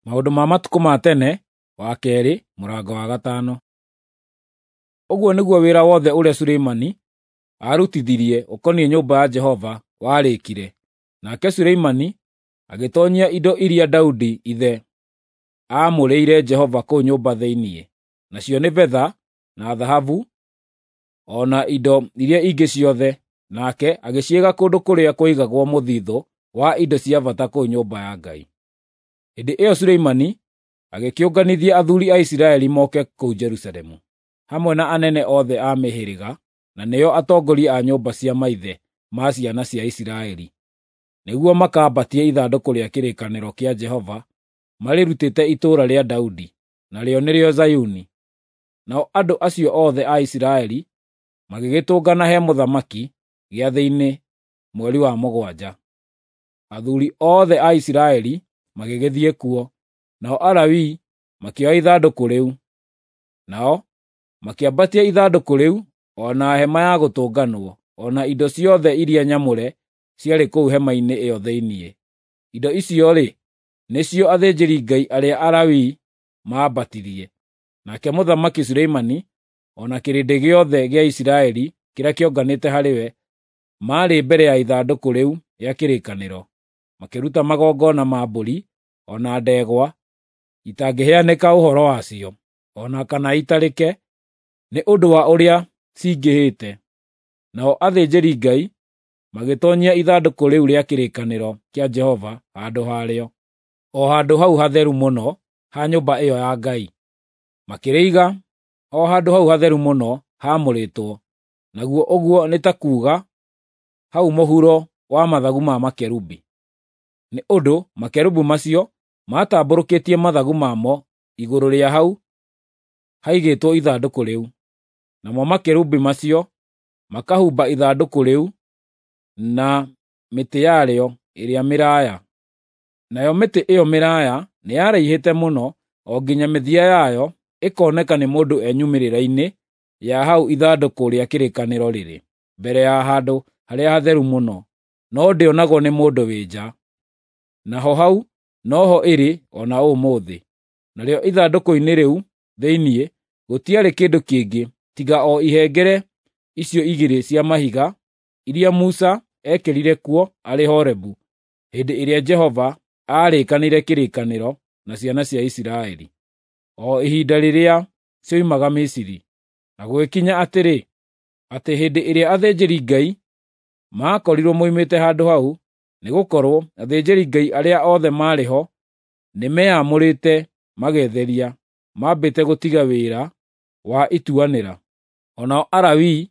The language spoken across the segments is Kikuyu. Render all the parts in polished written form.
Maũndũ ma matukũ ma tene, wa kerĩ, mũrango wa gatano. Ũguo nĩguo wĩra wothe ũrĩa Suleimani aarutithirie ũkoniĩ nyũmba ya Jehova warĩkire. Nake Suleimani agĩtoonyia indo iria Daudi ithe aamũrĩire Jehova kũu nyũmba thĩinĩ, nacio nĩ betha na thahabu o na indo iria ingĩ ciothe, nake agĩciiga kũndũ kũrĩa kwaigagwo mũthithũ wa indo cia bata kũu nyũmba ya Ngai. Hĩndĩ ĩyo Suleimani agĩkĩũnganithia athuuri a Isiraeli moke kũu Jerusalemu, hamwe na anene othe a mĩhĩrĩga, na nĩo atongoria a nyũmba cia maithe ma ciana cia Isiraeli, nĩguo makambatie ithandũkũ rĩa kĩrĩkanĩro kĩa Jehova marĩrutĩte itũũra rĩa Daudi, narĩo nĩrĩo Zayuni. Nao andũ acio othe a Isiraeli magĩgĩtũngana he mũthamaki gĩathĩ-inĩ mweri wa mũgwanja. Athuuri othe a Isiraeli magĩgĩthiĩ kuo, nao Alawii makĩoya ithandũkũ rĩu. Nao makĩambatia ithandũkũ rĩu o na hema ya gũtũnganwo, o na indo ciothe iria nyamũre ciarĩ kũu hema-inĩ ĩyo thĩinĩ. Indo icio-rĩ, nĩcio athĩnjĩri-Ngai arĩa Alawii maambatirie. Nake Mũthamaki Suleimani o na kĩrĩndĩ gĩothe gĩa Isiraeli kĩrĩa kĩonganĩte harĩ we maarĩ mbere ya ithandũkũ rĩu rĩa kĩrĩkanĩro, makĩruta magongona ma mbũri o na ndegwa itangĩheanĩka ũhoro wacio, o na kana itarĩke, nĩ ũndũ wa ũrĩa cingĩhĩte. Nao athĩnjĩri-Ngai magĩtoonyia ithandũkũ rĩu rĩa kĩrĩkanĩro kĩa Jehova handũ harĩo, o handũ hau hatheru mũno ha nyũmba ĩyo ya Ngai. Makĩrĩiga o handũ hau hatheru mũno haamũrĩtwo, naguo ũguo nĩ ta kuuga hau mũhuro wa mathagu ma makerubi. Nĩ ũndũ makerubi macio maatambũrũkĩtie mathagu mamo igũrũ rĩa hau haigĩtwo ithandũkũ rĩu, namo makerubi macio makahumba ithandũkũ rĩu na mĩtĩ yarĩo ĩrĩa mĩraaya. Nayo mĩtĩ ĩyo mĩraaya nĩyaraihĩte mũno o nginya mĩthia yayo ĩkoneka nĩ mũndũ e nyumĩrĩra-inĩ ya hau ithandũkũ rĩa kĩrĩkanĩro rĩrĩ, mbere ya handũ harĩa hatheru mũno, no ndĩonagwo nĩ mũndũ wĩ nja. Naho hau noho ĩrĩ o na ũmũthĩ. Narĩo ithandũkũ-inĩ rĩu thĩinĩ gũtiarĩ kĩndũ kĩngĩ tiga o ihengere icio igĩrĩ cia mahiga iria Musa eekĩrire kuo arĩ Horebu hĩndĩ ĩrĩa Jehova aarĩkanĩire kĩrĩkanĩro na ciana cia Isiraeli, o ihinda rĩrĩa cioimaga Misiri. Na gũgĩkinya atĩrĩ, atĩ hĩndĩ ĩrĩa athĩnjĩri-Ngai maakorirwo moimĩte handũ hau, nĩgũkorwo athĩnjĩri-Ngai arĩa othe maarĩ ho nĩmeamũrĩte magetheria, mambĩte gũtiga wĩra wa ituanĩra. O nao Alawii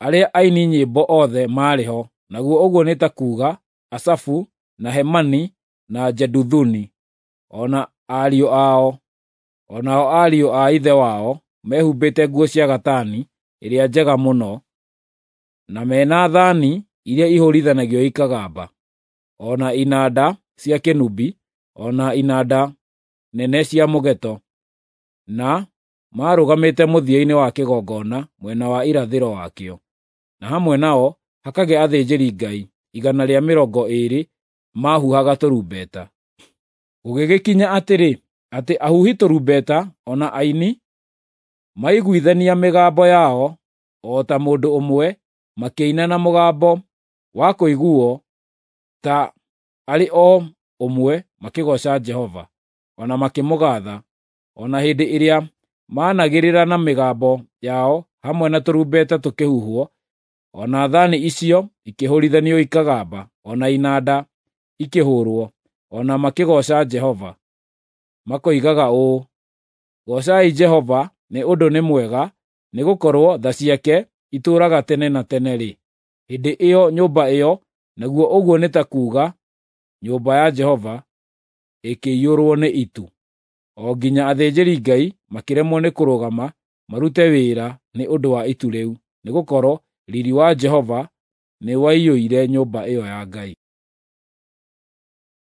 arĩa aini nyĩmbo othe maarĩ ho, naguo ũguo nĩ ta kuuga Asafu, na Hemani, na Jeduthuni, o na ariũ ao, o nao ariũ a ithe wao mehumbĩte nguo cia gatani ĩrĩa njega mũno, na mena thaani iria ihũũrithanagio ikagamba, o na inanda cia kĩnũbi, o na inanda nene cia mũgeeto, na maarũgamĩte mũthia-inĩ wa kĩgongona mwena wa irathĩro wakĩo. Na hamwe nao hakagĩa athĩnjĩri-Ngai 120 maahuhaga tũrumbeta. Gũgĩgĩkinya atĩrĩ, atĩ ahuhi tũrumbeta o na aini maiguithania mĩgambo yao o ta mũndũ ũmwe, makĩina na mũgambo wa kũiguuo ta arĩ o ũmwe makĩgooca Jehova, o na makĩmũgaatha, o na hĩndĩ ĩrĩa maanagĩrĩra na mĩgambo yao hamwe na tũrumbeta tũkĩhuhwo, o na thaani icio ikĩhũũrithanio ikagamba, o na inanda ikĩhũũrwo, o na makĩgooca Jehova. Makoigaga ũũ, “Goocai Jehova nĩ ũndũ nĩ mwega, nĩgũkorwo tha ciake itũũraga tene na tene-rĩ.” Hĩndĩ ĩyo nyũmba ĩyo, naguo ũguo nĩ ta kuuga nyũmba ya Jehova, ĩkĩiyũrwo nĩ itu, o nginya athĩnjĩri-Ngai makĩremwo nĩ kũrũgama marute wĩra nĩ ũndũ wa itu rĩu, nĩgũkorwo riiri wa Jehova nĩwaiyũire nyũmba ĩyo ya Ngai.